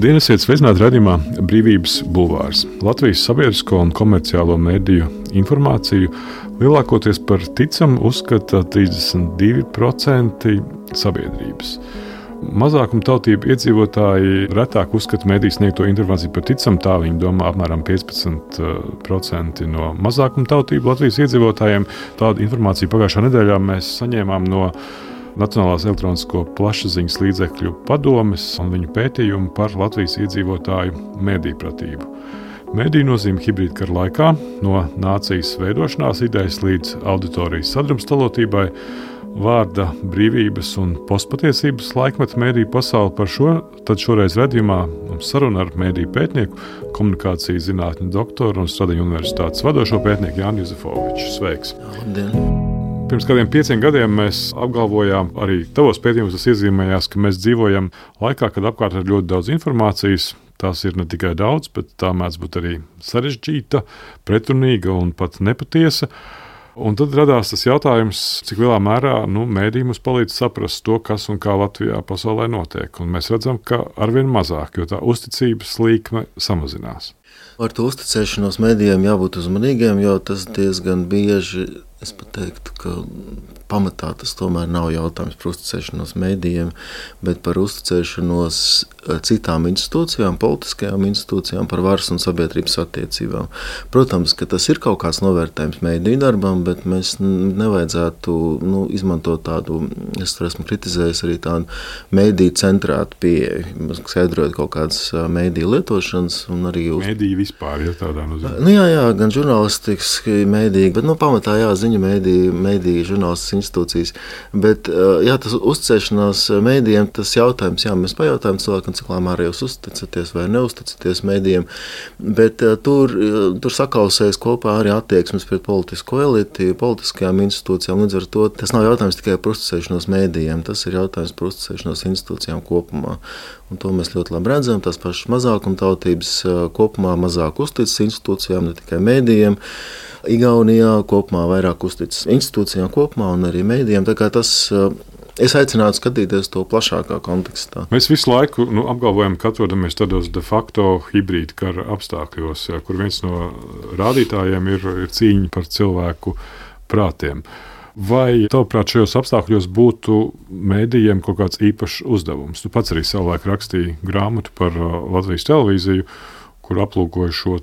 Labdien, esiet sveicināti raidījumā Brīvības bulvārs. Latvijas sabiedrisko un komerciālo mediju informāciju lielākoties par ticamu uzskata 32% sabiedrības. Mazākumtautību iedzīvotāji retāk uzskata mediju sniegto informāciju par ticamu, tā viņi domā apmēram 15% no mazākumtautību Latvijas iedzīvotājiem. Tādu informāciju pagājušā nedēļā mēs saņēmām no Nacionālās elektronisko plašsaziņas līdzekļu padomes un viņu pētījumu par Latvijas iedzīvotāju medijpratību. Mediju nozīme hibrīda kara laikā, no nācijas veidošanās idejas līdz auditorijas sadrumstalotībai, vārda brīvības un postpatiesības laikmeta mediju pasauli. Par šo tad šoreiz redzījumā mums saruna ar mediju pētnieku, komunikācijas zinātņu doktoru un Stradiņu universitātes vadošo pētnieku Jāni Juzefoviču. Sveiks! Labdien! Pirms kādiem 5 gadiem mēs apgalvojām, arī tavos pētījumos tas iezīmējās, ka mēs dzīvojam laikā, kad apkārt ir ļoti daudz informācijas. Tās ir ne tikai daudz, bet tā mēdz būt arī sarežģīta, pretrunīga un pat nepatiesa. Un tad radās tas jautājums, cik lielā mērā mēdī mums palīdz saprast to, kas un kā Latvijā pasaulē notiek. Un mēs redzam, ka arvien mazāk, jo tā uzticības līkme samazinās. Ar to uzticēšanos medijiem jābūt uzmanīgiem, jo tas diezgan bieži, es pat teiktu, ka pamatā tas tomēr nav jautājums par uzticēšanos medijiem, bet par uzticēšanos citām institūcijām, politiskajām institūcijām, par varas un sabiedrības attiecībām. Protams, ka tas ir kaut kāds novērtējums mediju darbam, bet mēs nevajadzētu izmantot tādu, es esmu kritizējis arī tādu mediju centrētu pieeju, skaidrojot kaut kādas mediju lietošanas un arī mediju vispār, ja tādā nozīmē. Jā, gan žurnālistiski mediji, bet pamatā ziņu mediju žurnālistikas institūcijas. Bet tas uzticēšanās medijiem, tas jautājums, mēs pajautājam cilvēkam, cik lēmā jūs uzticaties vai neusticaties medijiem, bet tur sakausējas kopā arī attieksmes pret politisko eliti, politiskajām institūcijām. Līdz ar to tas nav jautājums tikai par uzticēšanos medijiem, tas ir jautājums par uzticēšanos institūcijām kopumā. Un to mēs ļoti labi redzam, tās pašas mazākumtautības kopumā mazāk uzticas institūcijām, ne tikai medijiem. Igaunijā kopumā vairāk uzticas institūcijām kopumā un arī medijiem. Tā kā tas, es aicinātu skatīties to plašākā kontekstā. Mēs visu laiku apgalvojam, ka atrodamies tādos de facto hibrīda kara apstākļos, kur viens no rādītājiem ir cīņa par cilvēku prātiem. Vai tavuprāt šajos apstākļos būtu medijiem kaut kāds īpašs uzdevums? Tu pats arī savulaik rakstīji grāmatu par Latvijas televīziju, kur aplūkoja šo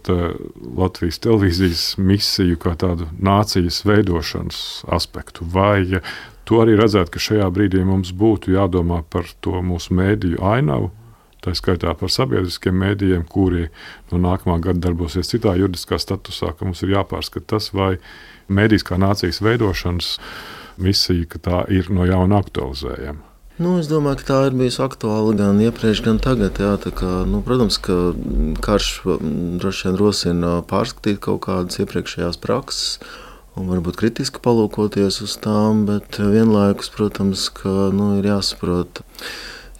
Latvijas televīzijas misiju kā tādu nācijas veidošanas aspektu. Vai tu arī redzētu, ka šajā brīdī mums būtu jādomā par to mūsu mediju ainavu, tā skaitā par sabiedriskiem medijiem, kuri no nākamā gada darbosies citā juridiskā statusā, ka mums ir jāpārskata tas, vai medijas kā nācijas veidošanas misija, ka tā ir no jauna aktualizējama? Es domāju, ka tā ir bijusi aktuāla gan iepriekš, gan tagad. Protams, ka karš droši vien rosina pārskatīt kaut kādas iepriekšējās prakses un varbūt kritiski palūkoties uz tām, bet vienlaikus, protams, ka ir jāsaprot,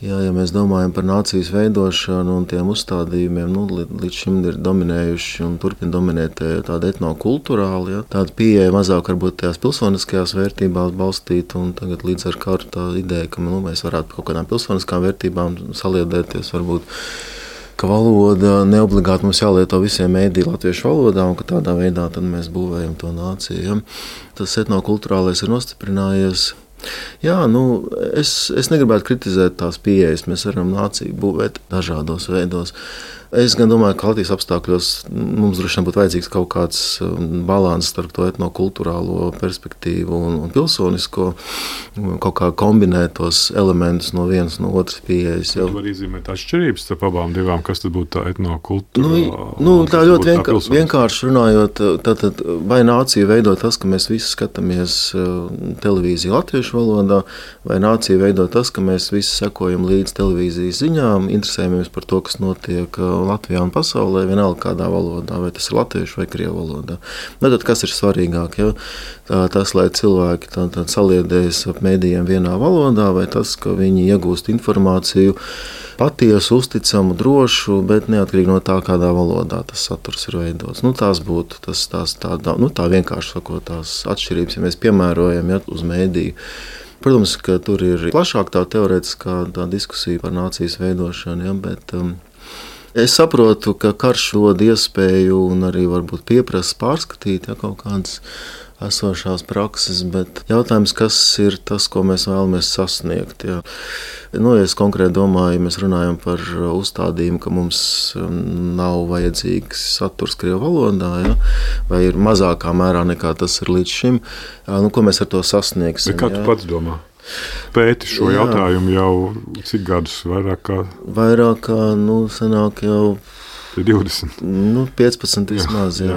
ja mēs domājam par nācijas veidošanu un tiem uzstādījumiem, līdz šim ir dominējuši un turpina dominēt tāda etnokulturāla, tāda pieeja mazāk varbūt tajās pilsoniskajās vērtībās balstīt, un tagad līdz ar karu tā ideja, ka mēs varētu kaut kādām pilsoniskām vērtībām saliedēties, varbūt, ka valoda neobligāti mums jālieto visiem mēdī latviešu valodā, un ka tādā veidā tad mēs būvējam to nāciju. Ja? Tas etnokulturālais ir nostiprinājies. Es negribētu kritizēt tās pieejas. Mēs varam nāciju būvēt dažādos veidos. Es gan domāju, ka Latvijas apstākļos mums droši vien būtu vajadzīgs kaut kāds balans starp to etnokulturālo perspektīvu un pilsonisko, kaut kā kombinētos elementus no vienas no otras pieejas. Jau var izzīmēt atšķirības starp abām divām, kas tad būtu tā etnokultūra? Tā ļoti vienkārši runājot, tātad vai nācija veido tas, ka mēs visi skatāmies televīziju latviešu valodā, vai nācija veido tas, ka mēs visi sekojam līdz televīzijas ziņām, interesējamies par to, kas notiek Latvijā un pasaulē, vienalga kādā valodā, vai tas ir latviešu vai krievu valodā. Tad kas ir svarīgāk? Tas, lai cilvēki saliedējas ap mēdījiem vienā valodā, vai tas, ka viņi iegūst informāciju patiesu, uzticamu, drošu, bet neatkarīgi no tā, kādā valodā tas saturs ir veidots. Tās būtu tā vienkārši sakot, tās atšķirības, ja mēs piemērojam uz mēdīju. Protams, ka tur ir plašāk tā teorētiskā diskusija par nācijas veidošanu, bet Es saprotu, ka karš dod iespēju un arī varbūt pieprasa pārskatīt kaut kādas esošās prakses, bet jautājums, kas ir tas, ko mēs vēlamies sasniegt. Ja es konkrēti domāju, ja mēs runājam par uzstādījumu, ka mums nav vajadzīgs saturs krievu valodā, vai ir mazākā mērā nekā tas ir līdz šim, ko mēs ar to sasniegsim. Bet kā tu pats domā? Pēti šo jautājumu jau cik gadus? Vairāk kā sanāk jau 20. 15 vismaz, jā.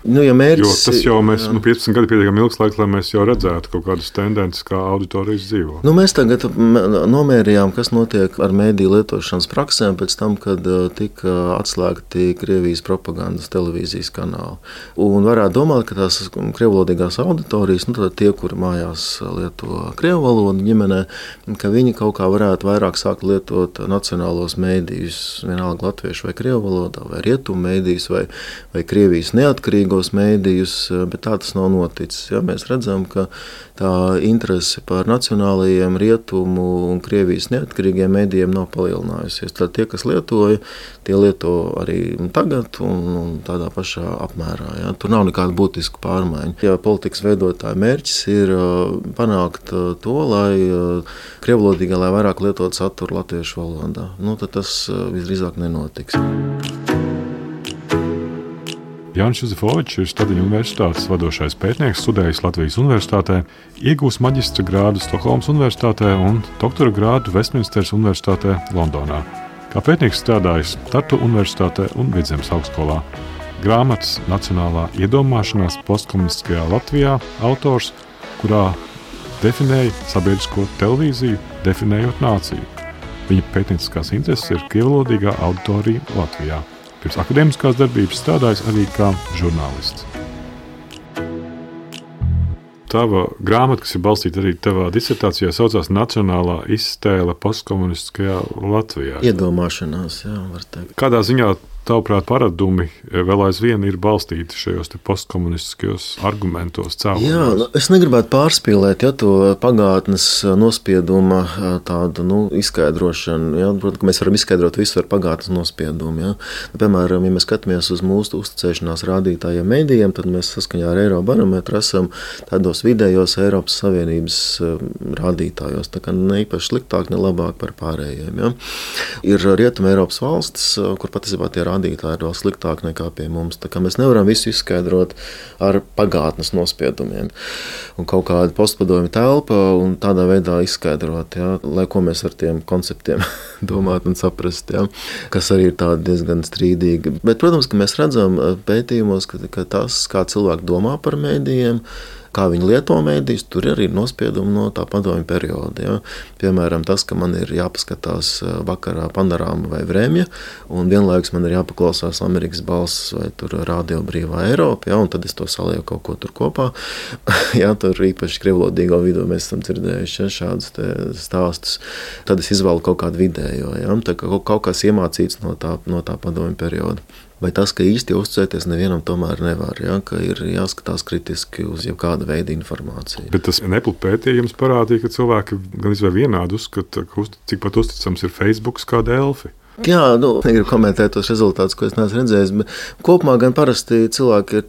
Ja mērķis, jo tas jau mēs, 15 gadi pietiekami ilgs laiks, lai mēs jau redzētu kaut kādas tendences, kā auditorijas dzīvo. Mēs tagad nomērījām, kas notiek ar mēdīju lietošanas praksēm pēc tam, kad tika atslēgti Krievijas propagandas televīzijas kanāli. Un varētu domāt, ka tās krievvalodīgās auditorijas, tad tie, kuri mājās lieto krievu valodu ģimenē, ka viņi kaut kā varētu vairāk sākt lietot nacionālos mēdījus, vienalga latviešu vai krievu valodu, vai rietumu mēdījus, vai Krievijas neatkarīgos mēdījus, bet tā tas nav noticis. Ja? Mēs redzam, ka tā interese par nacionālajiem rietumu un Krievijas neatkarīgiem mēdījiem nav palielinājusies. Tad tie, kas lietoja, tie lieto arī tagad un tādā pašā apmērā. Ja? Tur nav nekāda būtiska pārmaiņa. Ja politikas veidotāja mērķis ir panākt to, lai krievvalodīgā, lai vairāk lietot saturu latviešu valodā, tad tas visdrīzāk nenotiks. Jānis Juzefovičs ir Stadiņu universitātes vadošais pētnieks, studējis Latvijas universitātē, iegūs maģistra grādu Stokholmas universitātē un doktora grādu Vestminsteras universitātē Londonā. Kā pētnieks strādājis Tartu universitātē un Vidzemes augstskolā. Grāmatas Nacionālā iedomāšanās postkomunistiskajā Latvijā autors, kurā definēja sabiedrisko televīziju, definējot nāciju. Viņa pētnieciskās intereses ir krievvalodīgā auditorija Latvijā. Pirms akadēmiskās darbības strādājis arī kā žurnālists. Tava grāmata, kas ir balstīta arī tavā disertācijā, saucās Nacionālā iztēle postkomunistiskajā Latvijā. Iedomāšanās, var teikt. Kādā ziņā tavuprāt paradumi vēl aizvien ir balstīti šajos postkomunistiskajos argumentos, cēloņos? Es negribētu pārspīlēt to pagātnes nospieduma tādu izskaidrošanu. Protams, ka mēs varam izskaidrot visu ar pagātnes nospiedumu. Piemēram, ja mēs skatāmies uz mūsu uzticēšanās rādītājiem mēdījiem, tad mēs saskaņā ar Eirobarometru esam tādos vidējos Eiropas Savienības rādītājos. Tā kā ne īpaši sliktāk, ne labāk par pārējiem. Ir Rietuma Eiropas valstis, kur patiesībā tie rādītāji ir vēl sliktāk nekā pie mums. Tā kā mēs nevaram visu izskaidrot ar pagātnes nospiedumiem. Un kaut kāda postpadomju telpa un tādā veidā izskaidrot, lai ko mēs ar tiem konceptiem domāt un saprast, kas arī ir tādi diezgan strīdīgi. Bet, protams, ka mēs redzam pētījumos, ka tas, kā cilvēki domā par mēdījiem, kā viņi lieto mēdījus, tur arī ir nospiedumi no tā padomju perioda. Piemēram, tas, ka man ir jāpaskatās vakarā Panorāma vai Vremja, un vienlaikus man ir jāpaklausās Amerikas balss vai tur Radio Brīvā Eiropa, un tad es to salieku kaut ko tur kopā. Tur īpaši krievvalodīgo vidū mēs esam dzirdējuši šādus stāstus. Tad es izvēlu kaut kādu vidējo. Tā kā kaut kas iemācīts no tā padomju perioda. Vai tas, ka īsti uzticēties nevienam tomēr nevar, ka ir jāskatās kritiski uz jebkāda veida informāciju. Bet tas Apple pētījums parādīja, ka cilvēki gan izvēl vienādi uzskata, cik pat uzticams ir Facebook kā Delfi. Negribu komentēt tos rezultātus, ko es neesmu redzējis, bet kopumā gan parasti cilvēki ir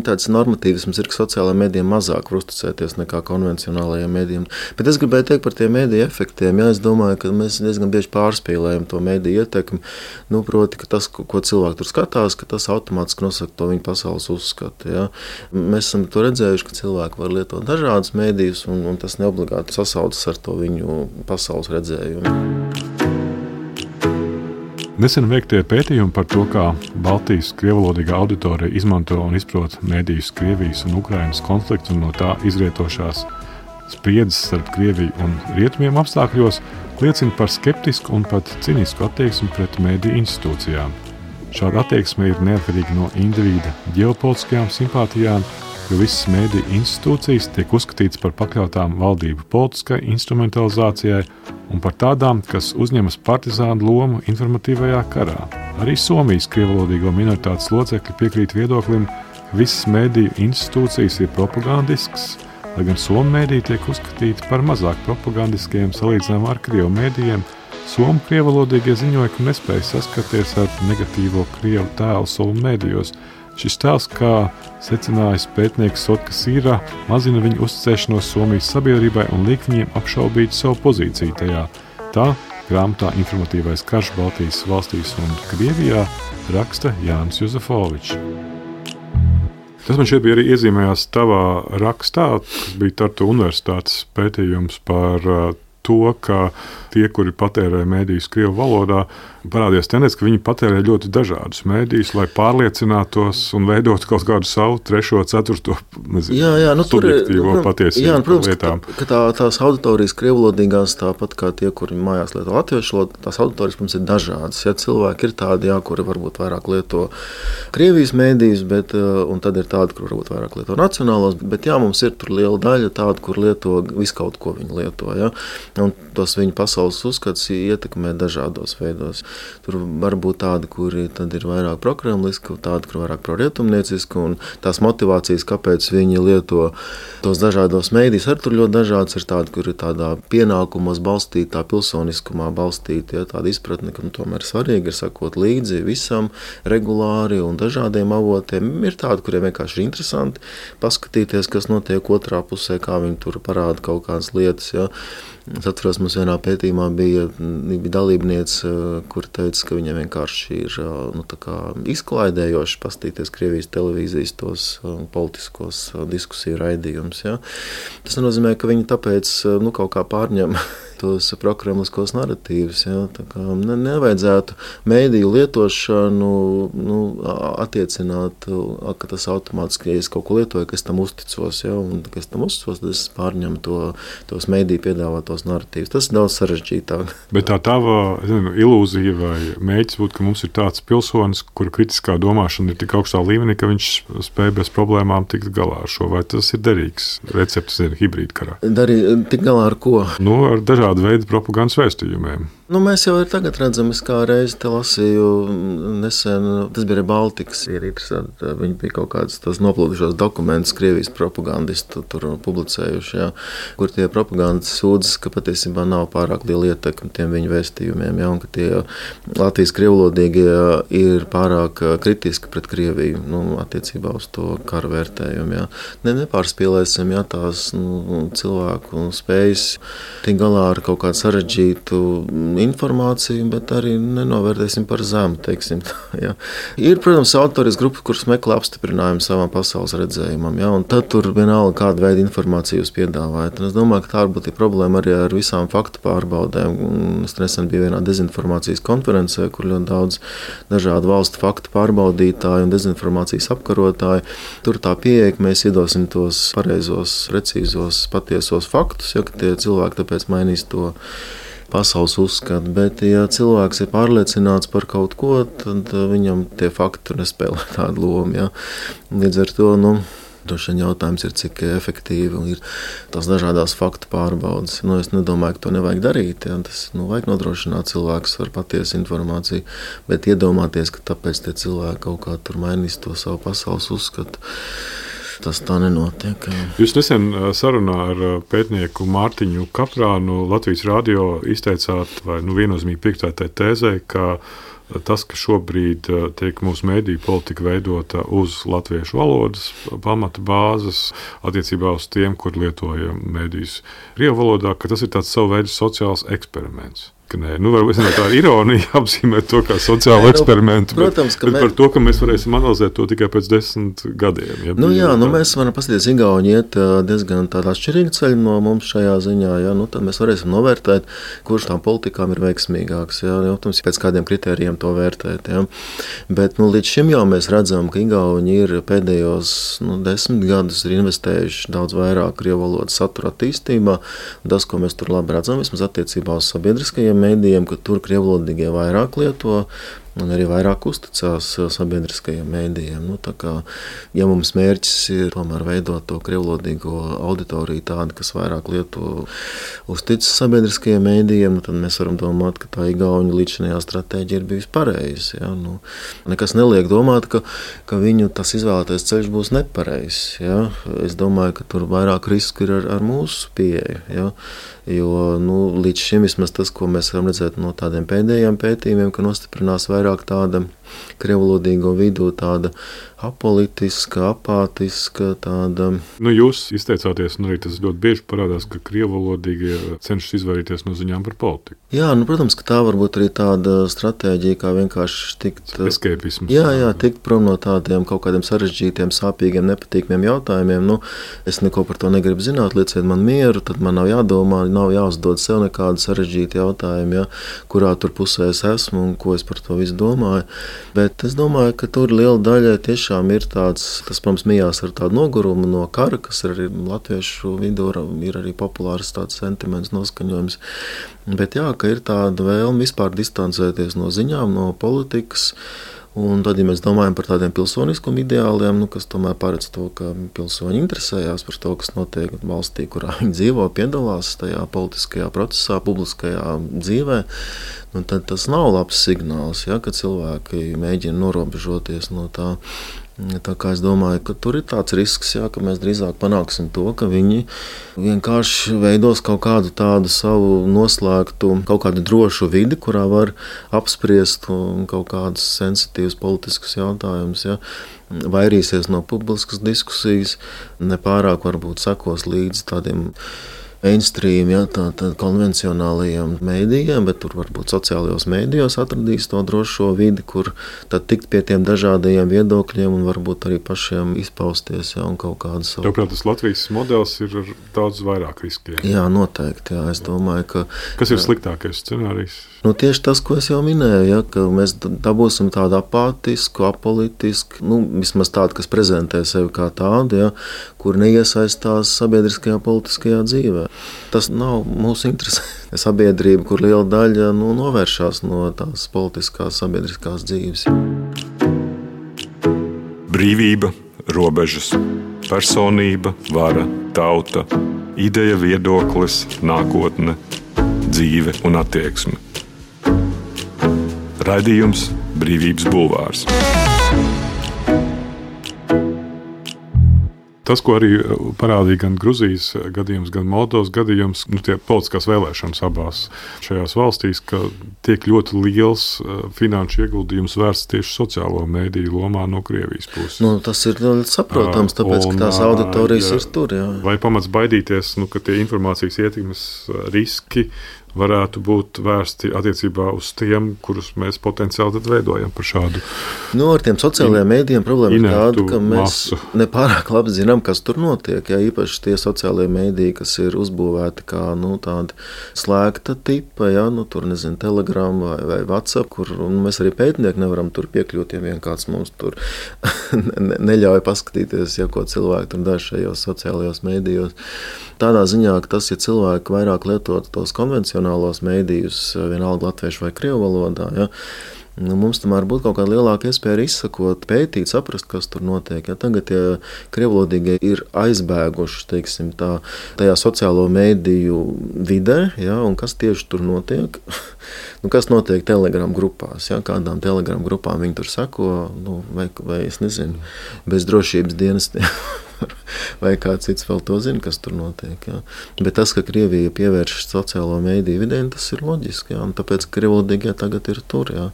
tāds normatīvisms, ka sociālajiem mēdījiem mazāk var uzticēties nekā konvencionālajiem mēdījiem. Bet es gribēju teikt par tiem mēdīju efektiem. Es domāju, ka mēs diezgan bieži pārspīlējam to mēdīju ietekmi. Proti, ka tas, ko cilvēki tur skatās, ka tas automātiski nosaka to viņu pasaules uzskatu. Mēs esam to redzējuši, ka cilvēki var lietot dažādus mēdījus, un tas neobligāti sasaucas ar to viņu pasaules redzējumu. Nesen veiktie pētījumi par to, kā Baltijas krievvalodīgā auditorija izmanto un izprot mēdījus Krievijas un Ukrainas konfliktu un no tā izrietošās spriedzes starp Krieviju un Rietumiem apstākļos, liecina par skeptisku un pat cinisku attieksmi pret mēdīju institūcijām. Šāda attieksme ir neatkarīga no individa ģeopolitiskajām simpātijām, jo visas mēdīju institūcijas tiek uzskatītas par pakļautām valdību politiskai instrumentalizācijai un par tādām, kas uzņemas partizānu lomu informatīvajā karā. Arī Somijas krievvalodīgo minoritātes locekļi piekrīt viedoklim, ka visas mēdīju institūcijas ir propagandiskas, lai gan somu mēdīji tiek uzskatīti par mazāk propagandiskiem salīdzinājumā ar krievu mēdījiem, Somu krievalodīgie ziņoja, ka nespēja saskarties ar negatīvo krievu tēlu savu medijos. Šis tēls, kā secinājis pētnieks Sotka Sīrā, mazina viņu uzticēšanos Somijas sabiedrībai un liek viņiem apšaubīt savu pozīciju tajā. Tā grāmatā Informatīvais karš Baltijas valstīs un Krievijā raksta Jānis Juzefovičs. Tas man šeit bija arī iezīmējās tavā rakstā, kas bija Tartu universitātes pētījums par to, ka tie, kuri patērē mēdījus krievu valodā, parādījās tendence, ka viņi patērē ļoti dažādus mēdījus, lai pārliecinātos un veidotu kaut kādu savu trešo, ceturto, subjektīvo patiesību lietām. Ka tās auditorijas krievulodīgās, tāpat kā tie, kuri mājās lieto latviešu valodu, tās auditorijas mums ir dažādas. Ja cilvēki ir tādi, kuri varbūt vairāk lieto Krievijas mēdījus, un tad ir tādi, kur varbūt vairāk lieto nacionālos, bet mums ir tur liela daļa tāda, kur lieto visu kaut ko viņi lieto. Ja? Un tos viņu pasaules uzskats ietekmē dažādos veidos. Tur var būt tādi, kuri tad ir vairāk prokremliski, tādi, kuri vairāk prorietumnieciski, un tās motivācijas, kāpēc viņi lieto tos dažādos mēdījus, arī tur ļoti dažāds ir tādi, kuri ir tādā pienākumos balstītā, pilsoniskumā balstītā, tāda izpratne, ka tomēr svarīgi ir sakot līdzi visam regulāri un dažādiem avotiem. Ir tādi, kuriem vienkārši ir interesanti paskatīties, kas notiek otrā pusē, kā viņi tur parāda kaut kādas lietas. Ja. Es atceros, mums vienā pētījumā bija dalībniece, kur teica, ka viņiem vienkārši ir izklaidējoši paskatīties Krievijas televīzijas tos politiskos diskusiju raidījumus. Ja. Tas nozīmē, ka viņi tāpēc kaut kā pārņem tos prokremliskos naratīvus. Ja. Nevajadzētu mēdīju lietošanu attiecināt, ka tas automātiski, ja es kaut ko lietoju, ka es tam uzticos, ja, un ka es tam uzticos, tad es pārņemu tos mēdīju piedāvātos naratīvus. Tas ir daudz sarežģītāk. Bet tā tava ilūzija vai mēģis būtu, ka mums ir tāds pilsonis, kura kritiskā domāšana ir tik augstā līmenī, ka viņš spēj bez problēmām tikt galā ar šo, vai tas ir derīgs recepts hibrīdkarā? Tik galā ar ko? Ar dažādu veidu propagandas vēstījumiem. Mēs jau tagad redzam, es kā reizi te lasīju nesen, tas bija Baltikas. Ir interesanti, viņi bija kaut kāds tos noplūdušos dokumentus Krievijas propagandistu tur publicējuši, ja, kur tie propagandas sūdzas, ka patiesībā nav pārāk liela ietekme tiem viņu vēstījumiem, ja, un ka tie Latvijas krievulodīgie ir pārāk kritiski pret Krieviju, attiecībā uz to karu vērtējumu. Ja. Nepārspīlēsim, ja, tās cilvēku spējas tik galā ar kaut kādu sarežģītu informāciju, bet arī nenovērtēsim par zemu, teiksim tā. Ja. Ir, protams, autorijas grupa, kuras meklē apstiprinājumu savam pasaules redzējumam, ja, un tad tur vienalga kādu veidu informāciju jūs piedāvājat. Un es domāju, ka tā varbūt ir problēma arī ar visām faktu pārbaudēm. Es nesen biju vienā dezinformācijas konferencē, kur ļoti daudz dažādu valstu faktu pārbaudītāju un dezinformācijas apkarotāju. Tur tā pieeja, ka mēs iedosim tos pareizos, precīzos, patiesos faktus, ja, ka tie cilvēki tāpēc mainīs to pasaules uzskatu, bet ja cilvēks ir pārliecināts par kaut ko, tad viņam tie fakti nespēlē tādu lomu. Ja. Līdz ar to, droši vien jautājums ir, cik efektīvi ir tās dažādās faktu pārbaudes. Es nedomāju, ka to nevajag darīt. Ja. Tas vajag nodrošināt cilvēkus ar patiesu informāciju, bet iedomāties, ka tāpēc tie cilvēki kaut kā tur mainīs to savu pasaules uzskatu. Tas tā nenotiek. Jūs nesen sarunā ar pētnieku Mārtiņu Kaprānu Latvijas radio izteicāt, vai viennozīmīgi piekrītat tai tēzē, ka tas, ka šobrīd tiek mūsu mediju politika veidota uz latviešu valodas pamata bāzes attiecībā uz tiem, kur lietoja medijas krievu valodā, ka tas ir tāds savu veidu sociāls eksperiments. Varbūt tā ir ironija apzīmēt to kā sociālu eksperimentu, protams, bet par to, ka mēs varēsim analizēt to tikai pēc 10 gadiem. Ja, mēs varam paskatīties, Igauni iet diezgan tādā atšķirīga ceļa no mums šajā ziņā. Ja, tad mēs varēsim novērtēt, kurš tām politikām ir veiksmīgāks. Ja, protams, pēc kādiem kritērijiem to vērtēt. Ja. Bet līdz šim jau mēs redzam, ka Igauni ir pēdējos 10 gadus ir investējuši daudz vairāk krievu valodas satura attīstībā. Tas, ko mēs tur labi redzam, vismaz attiecībā uz sabiedriskajiem mēdījiem, ka tur krievulodīgie vairāk lieto un arī vairāk uzticās sabiedriskajiem mēdījiem. Nu, tā kā, ja mums mērķis ir tomēr veidot to krievlodīgo auditoriju tādu, kas vairāk lieto uzticas sabiedriskajiem mēdījiem, tad mēs varam domāt, ka tā igauņu līdzinājā stratēģija ir bijusi pareiza. Ja? Nekas neliek domāt, ka viņu tas izvēlētais ceļš būs nepareizs. Ja? Es domāju, ka tur vairāk risku ir ar mūsu pieeju. Ja? Jo līdz šim vismaz tas, ko mēs varam redzēt no tādiem pēdējiem pētījumiem, ka nostiprinās vairāk tāda krievlodīgo vidū, tāda apolitiska, apātiska, tāda... Jūs izteicāties, un arī tas ļoti bieži parādās, ka krievlodīgie cenšas izvairīties no ziņām par politiku. Jā, protams, ka tā varbūt arī tāda stratēģija, kā vienkārši tikt... Eskepisms. Jā, tikt prom no tādiem kaut kādiem sarežģītiem, sāpīgiem, nepatīkamiem jautājumiem. Es neko par to negribu zināt, lieciet man mieru, tad man nav jādomā, nav jāuzdod sev nekādu sarežģītu jautājumu, ja, kurā tur pusē es esmu un ko es par to visu domāju. Bet es domāju, ka tur liela daļa tiešām ir tāds, tas, protams, mijās ar tādu nogurumu no kara, kas arī latviešu vidū ir arī populārs tāds sentiments, noskaņojums. Bet jā, ka ir tāda vēlme vispār distancēties no ziņām, no politikas. Un tad, ja mēs domājam par tādiem pilsoniskuma ideāliem, kas tomēr paredz to, ka pilsoņi interesējās par to, kas notiek valstī, kurā viņi dzīvo, piedalās tajā politiskajā procesā, publiskajā dzīvē, tad tas nav labs signāls, ja, ka cilvēki mēģina norobežoties no tā. Tā kā es domāju, ka tur ir tāds risks, ja, ka mēs drīzāk panāksim to, ka viņi vienkārši veidos kaut kādu tādu savu noslēgtu, kaut kādu drošu vidi, kurā var apspriest kaut kādus sensitīvus politiskus jautājumus, ja. Vairīsies no publiskas diskusijas, nepārāk varbūt sekos līdz tādiem mainstream, ja, tā konvencionālajiem mēdījiem, bet tur varbūt sociālajos mēdījos atradīs to drošo vidi, kur tad tikt pie tiem dažādajiem viedokļiem un varbūt arī pašiem izpausties, ja, un kaut kādu savu... Tāpēc tas Latvijas modelis ir ar daudz vairāk riskiem. Jā, noteikti, jā. Es domāju, ka... Kas ir sliktākais scenārijs? Tieši tas, ko es jau minēju, ja, ka mēs dabūsim tādu apātisku, apolitisku, vismaz tādu, kas prezentē sevi kā tādu, ja, kur neiesaistās sabiedriskajā politiskajā dzīvē. Tas nav mūsu interese. Sabiedrība, kur liela daļa novēršās no tās politiskās sabiedriskās dzīves. Brīvība, robežas, personība, vara, tauta, ideja, viedoklis, nākotne, dzīve un attieksme. Raidījums Brīvības bulvārs. Tas, ko arī parādīja gan Gruzijas gadījums, gan Moldovas gadījums, tie politiskās vēlēšanas abās šajās valstīs, ka tiek ļoti liels finanšu ieguldījums vērsts tieši sociālo mēdīju lomā no Krievijas puses. Tas ir ļoti saprotams, tāpēc, ka tās auditorijas ir tur. Jā. Vai pamats baidīties, ka tie informācijas ietekmes riski varētu būt vērsti attiecībā uz tiem, kurus mēs potenciāli tad veidojam par šādu. Ar tiem sociālajiem mēdījiem problēma ir tāda, ka mēs nepārāk labi zinām, kas tur notiek. Ja, īpaši tie sociālajie mēdīji, kas ir uzbūvēti kā tāda slēgta tipa, ja, tur nezinu, Telegram vai WhatsApp, kur mēs arī pētnieki nevaram tur piekļūt, ja vien kāds mums tur neļauj paskatīties, ja ko cilvēki tur dara šajos sociālajos mēdījos. Tādā ziņā, ka tas, ja cilvēki vairāk lietot tos konvencionālos mēdījus, vienalga latviešu vai krievu valodā, ja, mums tomēr būtu kaut kāda lielāka iespēja izsakot, pētīt, saprast, kas tur notiek. Ja tagad, ja krievlodīgie ir aizbēguši, teiksim, tajā sociālo mēdīju vidē, ja, un kas tieši tur notiek, kas notiek Telegram grupās, ja, kādām Telegram grupām viņi tur sako, vai es nezinu, bez drošības dienestiem. Vai kāds cits vēl to zina, kas tur notiek. Jā. Bet tas, ka Krievija pievēršas sociālo mēdīju vidē, tas ir loģiski. Jā. Un tāpēc krievlodīgie tagad ir tur. Jā.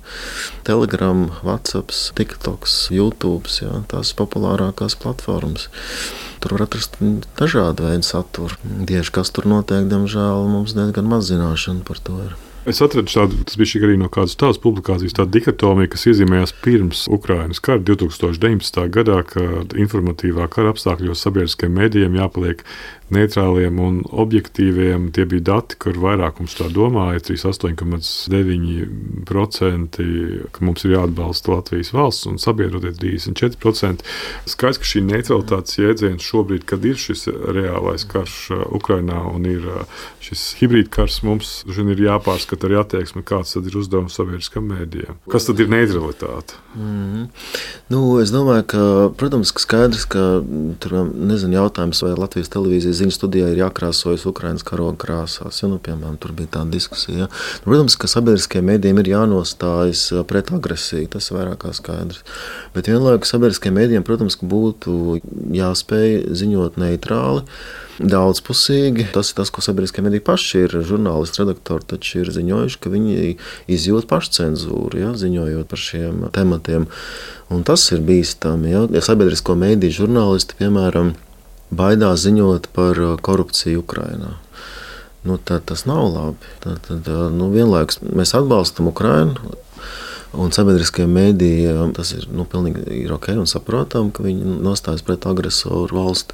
Telegram, WhatsApp, TikToks, YouTube, jā, tās populārākās platformas. Tur var atrast dažādu veidu saturu. Tieši kas tur notiek, diemžēl, mums diezgan maz zināšana par to ir. Es atradu tādu, tas bija arī no kādas tādas publikācijas, tāda dikotomija, kas iezīmējās pirms Ukrainas kara 2019. gadā, kad informatīvā kara apstākļos sabiedriskajiem mēdījiem jāpaliek neitrāliem un objektīviem. Tie bija dati, kur vairākums tā domāja, 38,9%, ka mums ir jāatbalsta Latvijas valsts un sabiedrotie 34%. Skaidrs, ka šī neutralitātes jēdziens šobrīd, kad ir šis reālais karš Ukrainā un ir šis hibrīdkars, mums ir jāpārskata arī attieksme, kāds tad ir uzdevums sabiedriskam mēdījam. Kas tad ir neutralitāte? Es domāju, ka, protams, ka skaidrs, ka tur jautājums, vai Latvijas televīzijas ziņu studijā ir jākrāsojas Ukrainas karoga krāsās. Piemēram, tur bija tāda diskusija. Protams, ka sabiedriskajiem mēdījiem ir jānostājas pret agresiju, tas ir vairāk kā skaidrs. Bet vienlaikus sabiedriskajiem mēdījiem, protams, ka būtu jāspēj ziņot neitrāli, daudzpusīgi. Tas ir tas, ko sabiedriskie mediji paši ir. Žurnālisti, redaktori taču ir ziņojuši, ka viņi izjūt pašcenzūru, ziņojot par šiem tematiem. Un tas ir bīstami. Ja sabiedrisko mediju žurnālisti, piemēram, baidās ziņot par korupciju Ukrainā. Tad tas nav labi. Tad vienlaikus mēs atbalstam Ukrainu. Un sabiedriskie mediji, tas ir pilnīgi ok un saprotam, ka viņi nostājas pret agresoru valsti.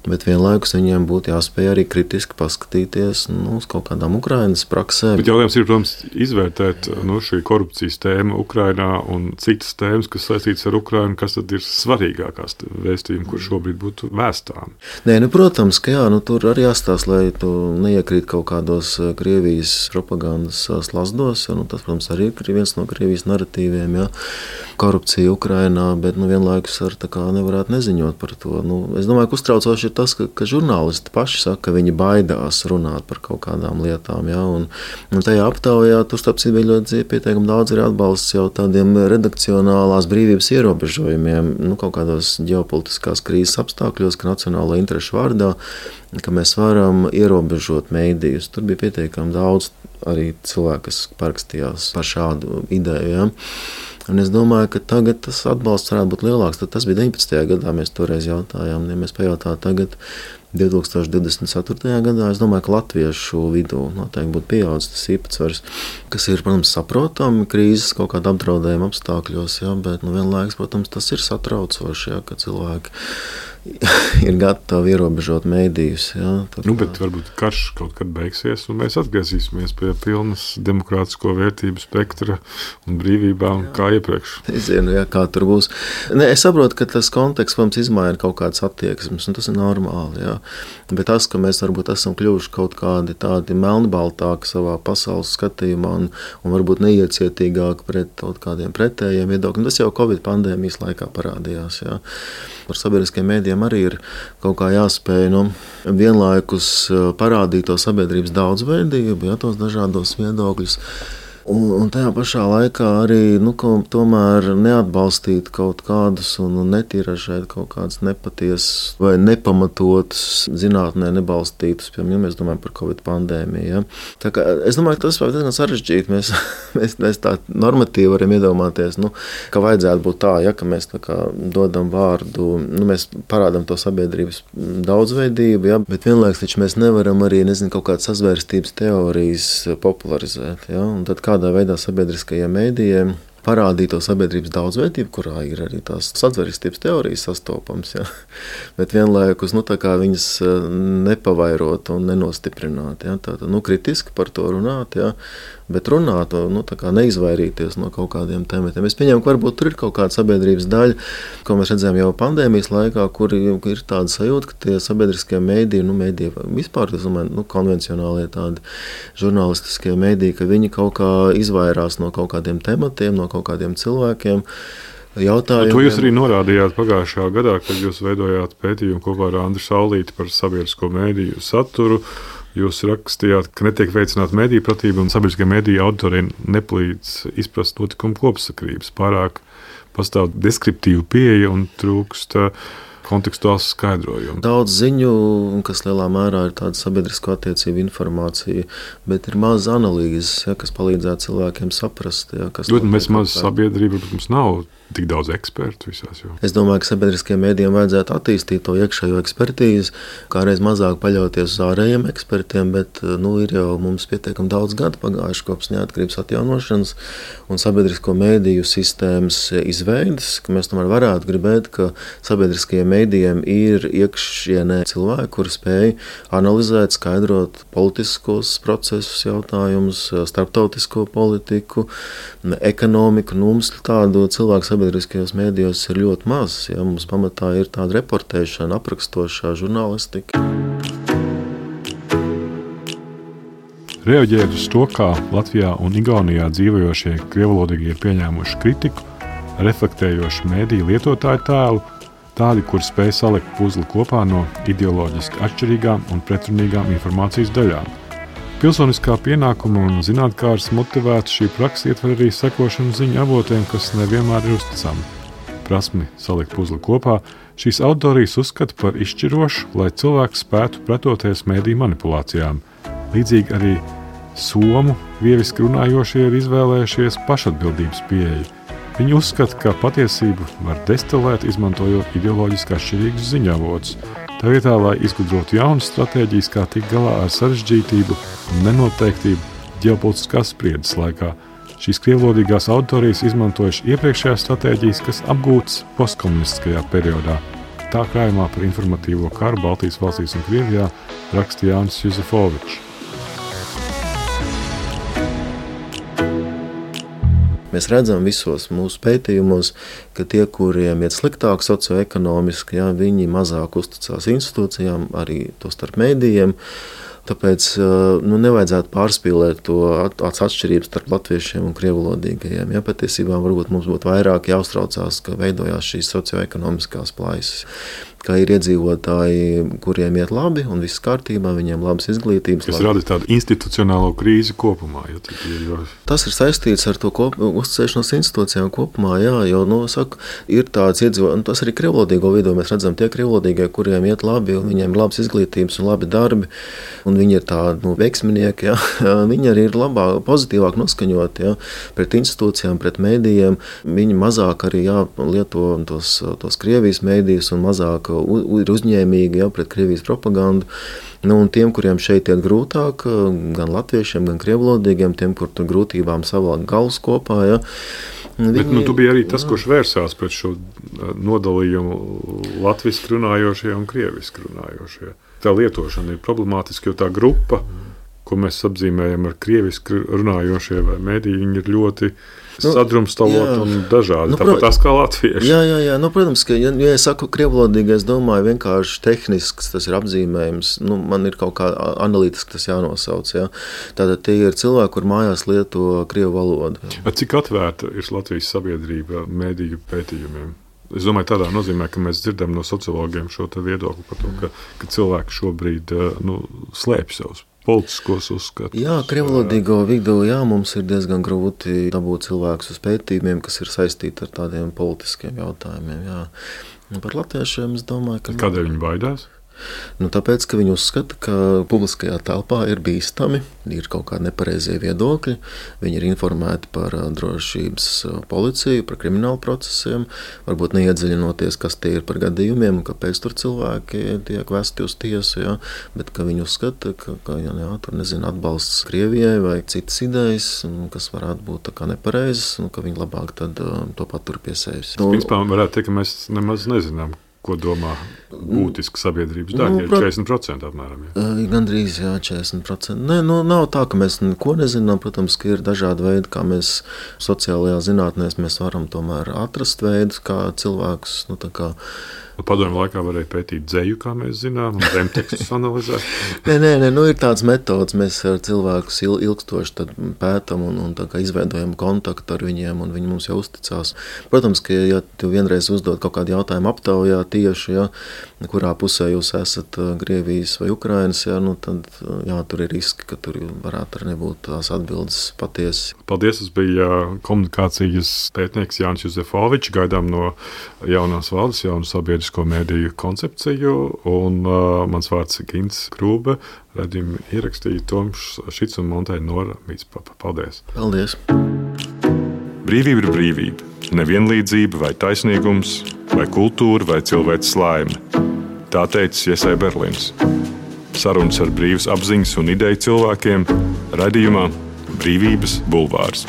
Bet vienlaikus viņiem būtu jāspēj arī kritiski paskatīties uz kaut kādām Ukrainas praksēm. Bet jautājums ir, protams, izvērtēt šī korupcijas tēma Ukrainā un citas tēmas, kas saistītas ar Ukrainu, kas tad ir svarīgākās vēstījumi, kur šobrīd būtu vēstām. Protams, ka tur arī jāstāsta, lai tu neiekrīt kaut kādos Krievijas propagandas slazdos. Tas, protams, arī ir viens no Krievijas naratīviem, korupcija Ukrainā, bet vienlaikus nevarētu neziņot par to. Es domāju, ka uztraucoši ir tas, ka žurnālisti paši saka, ka viņi baidās runāt par kaut kādām lietām. Un tajā aptaujā tur bija ļoti pietiekami daudz arī atbalsts jau tādiem redakcionālās brīvības ierobežojumiem, kaut kādos ģeopolitiskās krīzes apstākļos, ka nacionālo interešu vārdā, ka mēs varam ierobežot mēdījus. Tur bija pietiekami daudz arī cilvēku, kas parakstījās par šādu ideju. Un es domāju, ka tagad tas atbalsts varētu būt lielāks. Tas bija 19. gadā, mēs toreiz jautājām. Ja mēs pajautātu tagad, 2024. gadā, es domāju, ka latviešu vidū noteikti būtu pieaudzis tas īpatsvars, kas ir, protams, saprotami krīzes kaut kāda apdraudējuma apstākļos, bet vienlaikus, protams, tas ir satraucoši, ka cilvēki ir gatavi ierobežot mēdījus. Bet varbūt karš kaut kad beigsies, un mēs atgriezīsimies pie pilnas demokrātisko vērtību spektra un brīvībām, kā iepriekš. Es zinu, kā tur būs. Es saprotu, ka tas konteksts mums izmaina kaut kādas attieksmes, un tas ir normāli. Bet tas, ka mēs varbūt esam kļuvuši kaut kādi tādi melnbaltāki savā pasaules skatījumā un varbūt neiecietīgāki pret kaut kādiem pretējiem viedokļiem, tas jau Covid pandēmijas laikā parādījās. Par sabiedriskiem mēdījiem arī ir kaut kā jāspēj vienlaikus parādīt to sabiedrības daudzveidību, tos dažādos viedokļus. Un tajā pašā laikā arī tomēr neatbalstīt kaut kādus un netiražēt kaut kādas nepatiesas vai nepamatotas zinātnē nebalstītus, piemēram, ja mēs domājam par Covid pandēmiju. Tā kā, es domāju, ka tas var diezgan sarežģīti. Mēs tā normatīvi varam iedomāties, ka vajadzētu būt tā, ka mēs tā kā dodam vārdu, mēs parādam to sabiedrības daudzveidību, bet vienlaikus taču mēs nevaram arī, kaut kādas sazvērstības teorijas popularizēt. Un tad kādā veidā sabiedriskajiem mēdījiem parādīt to sabiedrības daudzveidību, kurā ir arī tās sazvērstības teorijas sastopams, bet vienlaikus viņas nepavairot un nenostiprināt. Tātad, kritiski par to runāt, bet runāt, neizvairīties no kaut kādiem tematiem. Es pieņemu, ka varbūt tur ir kaut kāda sabiedrības daļa, ko mēs redzējām jau pandēmijas laikā, kur ir tāda sajūta, ka tie sabiedriskie mēdīji, vispār, konvencionālie tādi žurnālistiskie mēdīji, ka viņi kaut kā izvairās no kaut kādiem tematiem, no kaut kādiem cilvēkiem. Jautājumiem. To jūs arī norādījāt pagājušajā gadā, kad jūs veidojāt pētījumu kopā ar Andru Saulīti par sabiedrisko mēdīju saturu. Jūs rakstījāt, ka netiek veicināta mediju pratība un sabiedriskie mediju auditoriem nepalīdz izprast notikumu kopsakrības. Pārāk pastāv deskriptīva pieeja un trūkst kontekstuāls skaidrojums. Daudz ziņu, kas lielā mērā ir tāda sabiedrisko attiecību informācija, bet ir maz analīzes, kas palīdzētu cilvēkiem saprast. Mēs maz sabiedrība, bet mums nav tik daudz ekspertu visās jomās. Es domāju, ka sabiedriskajiem mēdījiem vajadzētu attīstīt to iekšējo ekspertīzi, kādreiz mazāk paļauties uz ārējiem ekspertiem, bet ir jau mums pietiekami daudz gadu pagājuši kopš neatkarības atjaunošanas un sabiedrisko mēdīju sistēmas izveides, ka mēs tomēr varētu gribēt, ka sabiedriskajiem mēdījiem ir iekšienē cilvēki, kuri spēj analizēt, skaidrot politiskos procesus, jautājumus, starptautisko politiku, ekonomiku. Mums tādu cilvēku sabiedriskajos mēdījos ir ļoti maz. Ja? Mums pamatā ir tāda reportēšana, aprakstošā žurnālistika. Reaģējot uz to, kā Latvijā un Igaunijā dzīvojošie krievvalodīgie ir pieņēmuši kritiku, reflektējoši mēdīju lietotāju tēlu, tādi, kur spēj salikt puzli kopā no ideoloģiski atšķirīgām un pretrunīgām informācijas daļām. Pilsoniskā pienākuma un zinātkāras motivēta šī praksa ietver arī sekošanu ziņu avotiem, kas nevienmēr ir uzticami. Prasmi salikt puzli kopā šīs autorijas uzskata par izšķirošu, lai cilvēks spētu pretoties mēdīju manipulācijām. Līdzīgi arī somu vieviski runājošie ir izvēlējušies pašatbildības pieeju. Viņi uzskata, ka patiesību var destilēt, izmantojot ideoloģiski atšķirīgus ziņavotus. Tā vietā, lai izgudrotu jaunas stratēģijas, kā tikt galā ar sarežģītību un nenoteiktību ģeopolitiskās spriedzes laikā, šīs krievvalodīgās autorijas izmantojuši iepriekšējās stratēģijas, kas apgūtas postkomunistiskajā periodā. Tā krājumā par informatīvo karu Baltijas valstīs un Krievijā raksta Jānis Juzefovičs. Mēs redzam visos mūsu pētījumos, ka tie, kuriem iet sliktāk socioekonomiski, viņi mazāk uzticās institūcijām, arī to starp mēdījiem. Tāpēc nevajadzētu pārspīlēt to atšķirības starp latviešiem un krievvalodīgajiem. Patiesībā varbūt mums būtu vairāk jāuztraucās, ka veidojās šīs socioekonomiskās plaisas. Kā ir iedzīvotāji, kuriem iet labi un viss kārtībā, viņiem labas izglītības. Tas rada tādu institucionālo krīzi kopumā. Tas ir saistīts ar to uzticēšanos institūcijām kopumā, jo, ir tāds iedzīvotāji, un tas arī krievvalodīgo vidū mēs redzam tie krievvalodīgie, kuriem iet labi un viņiem ir labas izglītības un labi darbi, un viņi ir tādi veiksminieki, viņi arī ir pozitīvāk noskaņoti pret institūcijām, pret mēdījiem. Viņi mazāk arī lieto tos Krievijas mēdījus un mazāk ir uzņēmīgi pret Krievijas propagandu. Un tiem, kuriem šeit iet grūtāk, gan latviešiem, gan krievvalodīgiem, tiem, kur tur grūtībām savākt galus kopā. Bet tu biji arī tas, kurš vērsās pret šo nodalījumu latviski runājošie un krieviski runājošie. Tā lietošana ir problemātiska, jo tā grupa, ko mēs apzīmējam ar krieviski runājošie vai mēdīji, viņi ir ļoti sadrumstalot un dažādi, tāpat tās kā latvieši. Jā. Protams, ka, ja es saku krievvalodīgi, es domāju vienkārši tehnisks, tas ir apzīmējums, man ir kaut kā analītiski tas jānosauc. Tātad tie ir cilvēki, kur mājās lieto krievu valodu. Cik atvērta ir Latvijas sabiedrība mēdīju pētījumiem? Es domāju, tādā nozīmē, ka mēs dzirdam no sociologiem šo viedokli par to, ka cilvēki šobrīd slēpj savus politiskos uzskatus. Krievvalodīgo vidū mums ir diezgan grūti dabūt cilvēkus uz pētījumiem, kas ir saistīti ar tādiem politiskiem jautājumiem. Par latviešiem es domāju, ka... Kādēļ viņi baidās? Tāpēc, ka viņi uzskata, ka publiskajā telpā ir bīstami, ir kaut kādi nepareizie viedokļi, viņi ir informēti par drošības policiju, par kriminālu procesiem, varbūt neiedziļinoties, kas tie ir par gadījumiem un kāpēc tur cilvēki tiek vesti uz tiesu, bet ka viņi uzskata, ka tur atbalsts Krievijai vai citas idejas, kas varētu būt tā kā nepareizas, un ka viņi labāk tad to patur pie sevis. Principā varētu teikt, ka mēs nemaz nezinām, ko domā būtiski sabiedrības daļa, ir 40% apmēram. Gandrīz, 40%. Nav tā, ka mēs neko nezinām. Protams, ka ir dažādi veidi, kā mēs sociālajā zinātnēs mēs varam tomēr atrast veidus, kā cilvēkus, Padomju laikā varēja pētīt dzeju, kā mēs zinām, un zemtekstus analizēt. Nē, ir tāds metods, mēs ar cilvēkus ilgstoši pētam un izveidojam kontaktu ar viņiem, un viņi mums jau uzticās. Protams, ka ja tu vienreiz uzdod kaut kādu jautājumu aptaujā tieši, kurā pusē jūs esat Krievijas vai Ukrainas, tad tur ir riski, ka tur varētu arī nebūt tās atbildes patiesi. Paldies, tas bija komunikācijas pētnieks Jānis Juzefovičs, gaidām no jaunās valdes, jaunu sabiedrisko mēdīju koncepciju, un mans vārds ir Gints Krūbe, redzījumi ierakstīja Toms Šits un montēja Nora Mītspapa. Paldies! Paldies! Brīvība ir brīvība, nevienlīdzība vai taisnīgums, vai kultūra vai cilvēks laime. Tā teica Iesai Berlins. Sarunas ar brīvas apziņas un ideju cilvēkiem raidījumā Brīvības bulvārs.